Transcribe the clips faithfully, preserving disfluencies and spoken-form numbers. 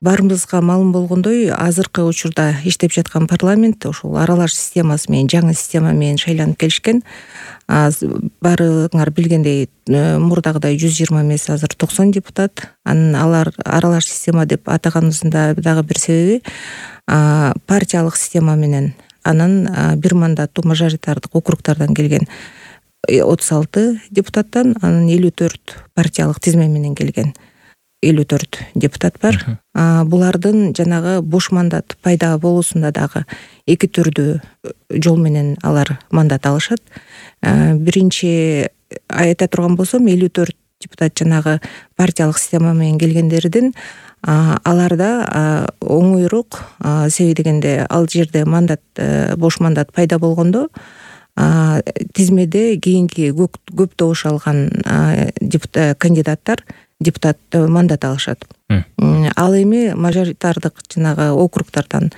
баарыбызга маалым болгондой, азыркы учурда иштеп жаткан парламент ушул аралаш системасы менен, жаңы система менен шайланып келишкен. Баарыңар билгендей, мурдагыдай жүз жыйырма эмес, азыр токсон депутат. Анан алар аралаш система деп атаганыбыздын дагы бир себеби партиялык система менен, анан бир мандаттуу мажоритардык округдардан келген отуз алты депутаттан, анан элүү төрт партиялык тизме менен келген элүү төрт депутат бар. Булардын жанагы бош мандат пайда болуусунда дагы эки түрдүү жол менен алар мандат алышат. Биринчи айта турган болсом, элүү төрт депутат жанагы партиялык система менен келгендердин аларда оңоюраак, себеби дегенде ал жерде мандат, бош мандат пайда болгондо тизмеде кийинки көп добуш алган кандидаттар депутат мандат алышат. Ал эми мажоритардык жанагы округдардан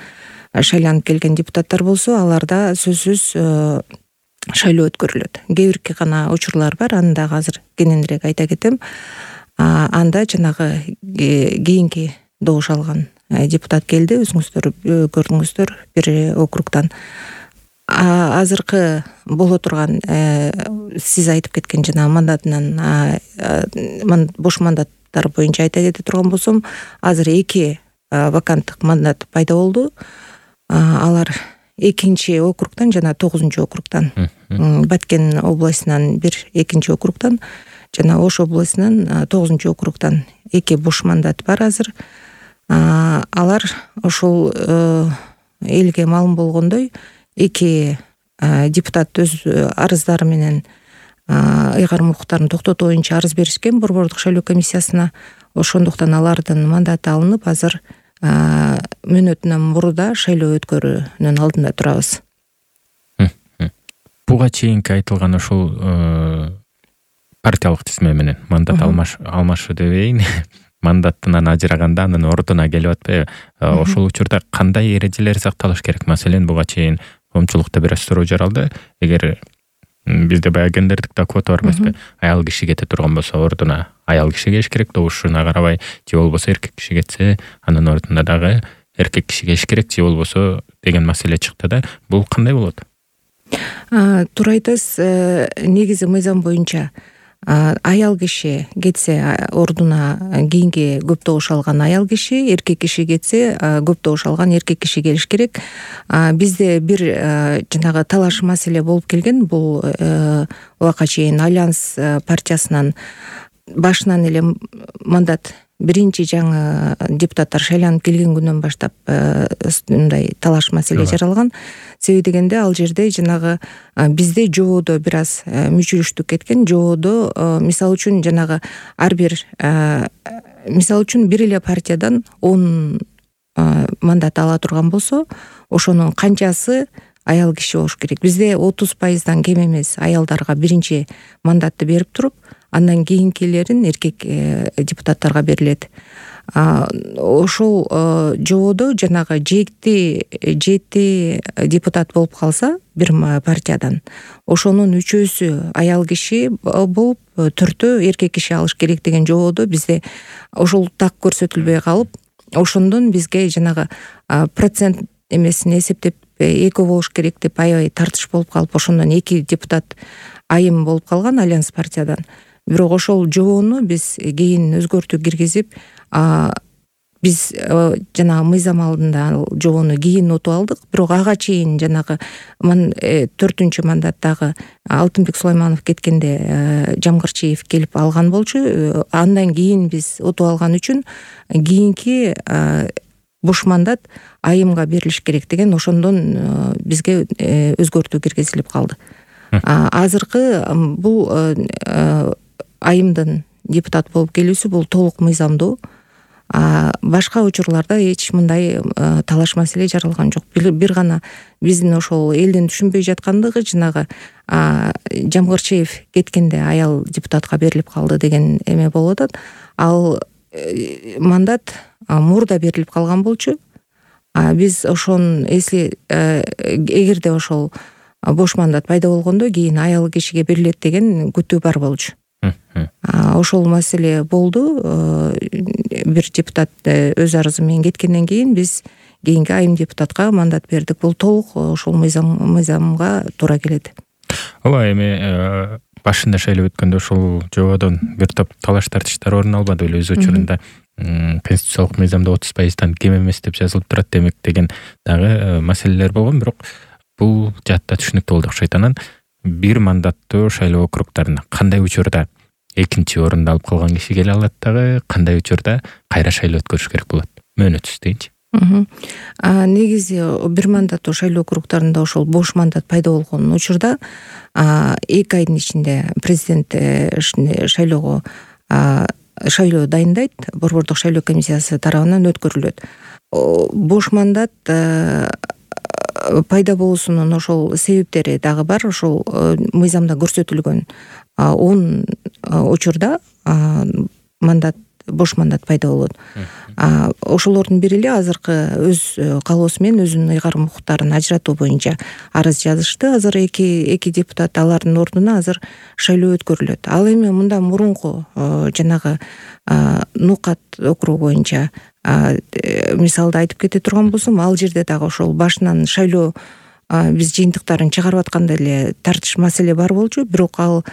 шайланып келген депутаттар болсо, аларда сөзсүз шайлоо өткөрүлөт. Кээ бирки гана учурлар бар, аны дагы азыр кененирээк айта кетем. Анда жанагы кийинки добуш алган депутат келди, өзүңүздөр көрдүңүздөр, бир округдан. Азыркы боло турган сиз айтып кеткен жана мандатынан бош мандаттар боюнча айта кете турган болсом, азыр эки ваканттык мандат пайда болду. Алар экинчи округдан жана тогузунчу округдан, Баткен областынан бир, экинчи округдан жана Ош областынан тогузунчу округдан эки бош мандат бар азыр. Алар ошол элге маалым болгондой, эки депутат өз арыздары менен ыйгарым укуктарын токтотуу боюнча арыз беришкен борбордук шайлоо комиссиясына. Ошондуктан алардын мандаты алынып, азыр мөөнөтүнөн мурда шайлоо өткөрүүнүн алдында турабыз. Буга чейинки айтылган ошол партиялык тизме менен мандат алмашуу дебейин, мандаттан ажыраганда анын ордуна келип атпайбы? Ошол учурда кандай эрежелер сакталыш керек? Маселен, буга чейин коомчулукта бир аз суроо жаралды. Эгер бизде баягы гендердик квота бар эмеспи? Аял киши кете турган болсо, ордуна аял киши келиш керек, добушуна карабай, же болбосо эркек киши кетсе, анын ордуна дагы эркек киши келиш керек, же болбосо деген маселе чыкты да. Бул кандай болот? Туура айтасыз. Негизи мыйзам боюнча аял киши кетсе, ордуна кийинки көп добуш алган аял киши, эркек киши кетсе, көп добуш алган эркек киши келиш керек. Бизде бир жанагы талаш маселе болуп келген. Бул убакка чейин Альянс партиясынан башынан эле мандат биринчи жаңы депутаттар шайланып келген күнүнөн баштап мындай талаш маселе жаралган. Себеби дегенде, ал жерде жанагы бизде жободо бир аз мүчүлүштүк кеткен. Жободо мисалы үчүн жанагы ар бир мисалы үчүн бир эле партиядан он мандат ала турган болсо, ошонун канчасы аял киши болуш керек. Бизде отуз пайыздан кем эмес аялдарга биринчи мандатты берип туруп, андан кийинкилерин эркек депутаттарга берилет. Ошол жободо жанагы жети жети депутат болуп калса бир партиядан, ошонун үчөөсү аял киши болуп, төртөө эркек киши алыш керек деген жободо бизде ошол так көрсөтүлбөй калып, ошондон бизге жанагы процент эмесин эсептеп экөө болуш керек деп аябай тартыш болуп калып, ошондон эки депутат айым болуп калган Альянс партиядан. Бирок ошол жобону биз кийин өзгөртүү киргизип, биз жанагы мыйзам алдында жобону кийин утуп алдык. Бирок ага чейин жанагы төртүнчү мандаттагы Алтынбек Сулайманов кеткенде Жамгырчиев келип алган болчу. Андан кийин биз утуп алган үчүн кийинки бош мандат айымга берилиш керек деген, ошондон бизге өзгөртүү киргизилип калды. Азыркы бул айымдын депутат болуп келүүсү бул толук мыйзамдуу. Башка учурларда эч мындай талаш маселе жаралган жок. Бир гана биздин ошол элдин түшүнбөй жаткандыгы жанагы Жамгырчиев кеткенде аял депутатка берилип калды деген эме болуп атат. Ал мандат мурда берилип калган болчу. Биз ошон эсли эгерде ошол бош мандат пайда болгондо кийин аял кишиге берилет деген күтүү бар болчу. Ошол маселе болду. бир депутат өз арызы менен кеткенден кийин биз кийинки айым депутатка мандат бердик. Бул толук ошол мыйзамга туура келет. Ооба, эми башында шайлоо өткөндө ошол жободон бир топ талаш тартыштар орун албады беле? Өз учурунда конституциялык мыйзамда отуз пайыздан кем эмес деп жазылып турат демек деген дагы маселелер болгон. Бирок бул жаатта түшүнүктүү болду окшойт. Анан бир мандаттуу шайлоо округдарына кандай учурда экинчи орунду алып калган киши келе алат дагы, кандай учурда кайра шайлоо өткөрүш керек болот? Мөөнөтсүз дейинчи. Негизи бир мандаттуу шайлоо округдарында ошол бош мандат пайда болгон учурда эки айдын ичинде президент шайлоого шайлоо дайындайт, борбордук шайлоо комиссиясы тарабынан өткөрүлөт. Бош мандат пайда болуусунун ошол себептери дагы бар. Ошол мыйзамда көрсөтүлгөн он учурда мандат бош мандат пайда болот. Ошолордун бири эле азыркы өз каалоосу менен өзүнүн ыйгарым укуктарын ажыратуу боюнча арыз жазышты. Азыр эки эки депутат алардын ордуна азыр шайлоо өткөрүлөт. Ал эми мындан мурунку жанагы Нукат округу боюнча мисалды айтып кете турган болсом, ал жерде дагы ошол башынан шайлоо биз жыйынтыктарын чыгарып атканда эле тартыш маселе бар болчу, бирок ал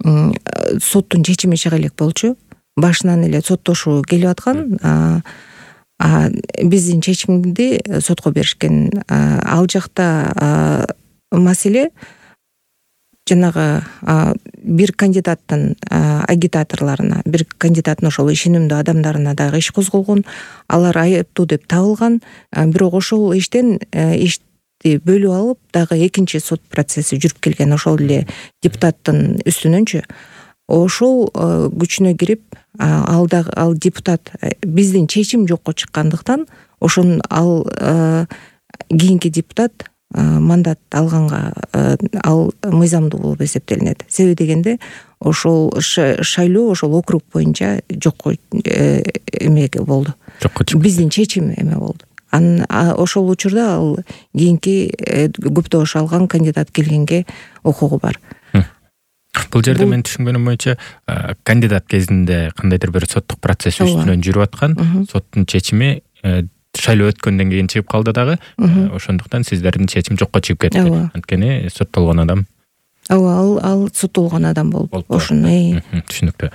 соттун чечими чыга элек болчу. Башынан эле соттошуу келип аткан. Биздин чечимди сотко беришкен. Ал жакта маселе жанагы бир кандидаттын агитаторлоруна, бир кандидаттын ошол ишенимдүү адамдарына дагы иш козголгон. Алар айыптуу деп табылган. Бирок ошол иштен ишти бөлүп алып, дагы экинчи сот процесси жүрүп келген ошол эле депутаттын үстүнөнчү. Ошол күчүнө кирип, ал дагы ал депутат биздин чечим жокко чыккандыктан, ошон ал кийинки депутат мандат алганга ал мыйзамдуу болуп эсептелинет. Себеби дегенде ошол шайлоо ошол округ боюнча жокко эме болду. Жокко чыкты. Биздин чечим эме болду. Анан ошол учурда ал кийинки көптөш алган кандидат келгенге укугу бар. Бул жерде мен түшүнгөнүм боюнча кандидат кезинде кандайдыр бир соттук процесс үстүнөн жүрүп аткан, соттун чечими шайлоо өткөндөн кийин чыгып калды дагы. Ошондуктан сиздердин чечим жокко чыгып кетти. Анткени соттолгон адам. Ооба, ал ал соттолгон адам болуп ошону. Түшүнүктүү.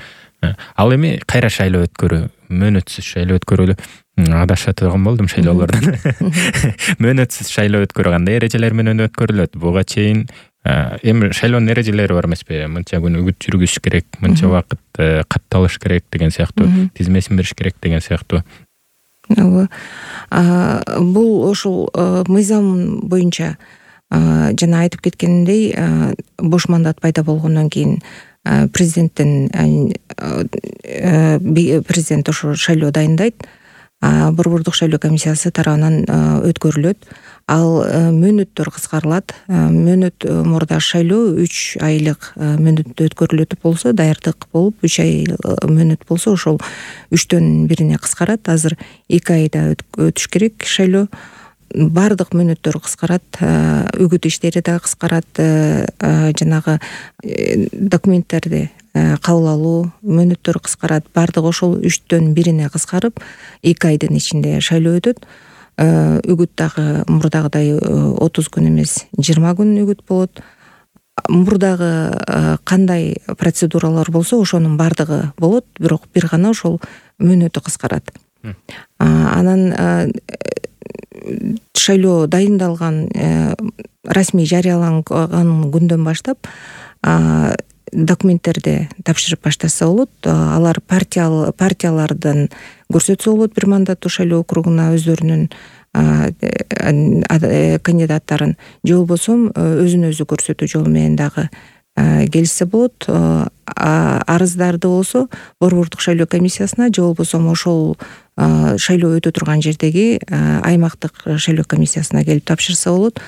Ал эми кайра шайлоо өткөрүү, мөөнөтсүз шайлоо өткөрүү адашат турган болдум шайлоолордон. Мөөнөтсүз шайлоо өткөрүү кандай эрежелер менен өткөрүлөт? Буга чейин эми шайлоонун эрежелери бар эмеспи? Мынча күн үгүт жүргүзүш керек, мынча убакыт катталыш керек деген сыяктуу, тизмесин бериш керек деген сыяктуу. Ооба. Бул ошол мыйзам боюнча жана айтып кеткенимдей, бош мандат пайда болгондон кийин президенттин президент ошо шайлоо дайындайт. Борбордук шайлоо комиссиясы тарабынан өткөрүлөт. Ал мөөнөттөр кыскарылат. Мөөнөт мурда шайлоо үч айлык мөөнөттө өткөрүлөт болсо, даярдык болуп үч ай мөөнөт болсо, ошол үчтөн бирине кыскарат. Азыр эки айда өтүш керек шайлоо. Бардык мөөнөттөр кыскарат, үгүт иштери да кыскарат, жанагы документтерди кабыл алуу мөөнөттөрү кыскарат. Бардыгы ошол үчтөн бирине кыскарып, эки айдын ичинде шайлоо өтөт. Үгүт дагы мурдагыдай отуз күн эмес, жыйырма күн үгүт болот. Мурдагы кандай процедуралар болсо, ошонун бардыгы болот, бирок бир гана ошол мөөнөтү кыскарат. Анан шайлоо дайындалган, расмий жарыяланган күндөн баштап документтерди тапшырып баштаса болот. Алар партиялардан көрсөтсө болот бир мандаттуу шайлоо округуна өздөрүнүн кандидаттарын, же болбосо өзүн өзү көрсөтүү жолу менен дагы келишсе болот. Арыздарды болсо борбордук шайлоо комиссиясына, же болбосо ошол шайлоо өтө турган жердеги аймактык шайлоо комиссиясына келип тапшырса болот.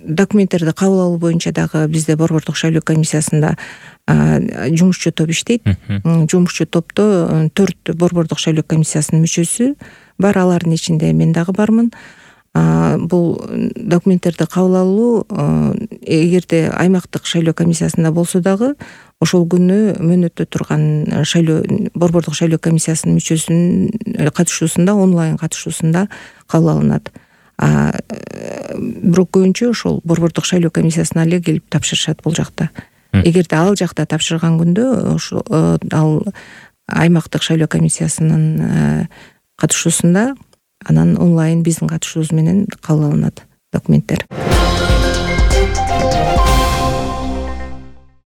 Документтерди кабыл алуу боюнча дагы бизде борбордук шайлоо комиссиясында жумушчу топ иштейт. Жумушчу топто төрт борбордук шайлоо комиссиясынын мүчөсү бар, алардын ичинде мен дагы бармын. бул документтерди кабыл алуу эгерде аймактык шайлоо комиссиясында болсо дагы ошол күнү мөөнөттө турган шайлоо борбордук шайлоо комиссиясынын мүчөсүнүн катышуусунда онлайн катышуусунда кабыл алынат. Бирок көбүнчө ошол борбордук шайлоо комиссиясына эле келип тапшырышат бул жакта. Эгерде ал жакта тапшырган күндө ошол ал аймактык шайлоо комиссиясынын катышуусунда анан онлайн биздин катышуубуз менен кабыл алынат документтер.